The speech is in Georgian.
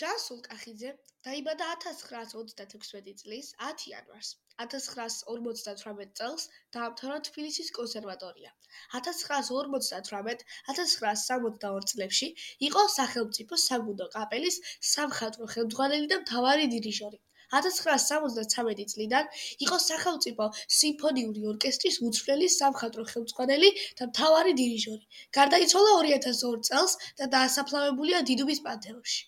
ჯანსუღ კახიძე დაიბადა 1926 წლის 10 იანვარს. 1958 წელს დაამთავრა თბილისის კონსერვატორია. 1958-1962 წლებში იყო სახელმწიფო საბუნდო კაპელის სამხატვრო ხელმძღვანელი და მთავარი დირიჟორი. 1963 წლიდან იყო სახელმწიფო სიმფონიური ორკესტრის უცვლელი სამხატვრო ხელმძღვანელი და მთავარი დირიჟორი. გარდაიცვალა 2002 წელს და დაასაფლავებულია დიდუბის პანთეონში.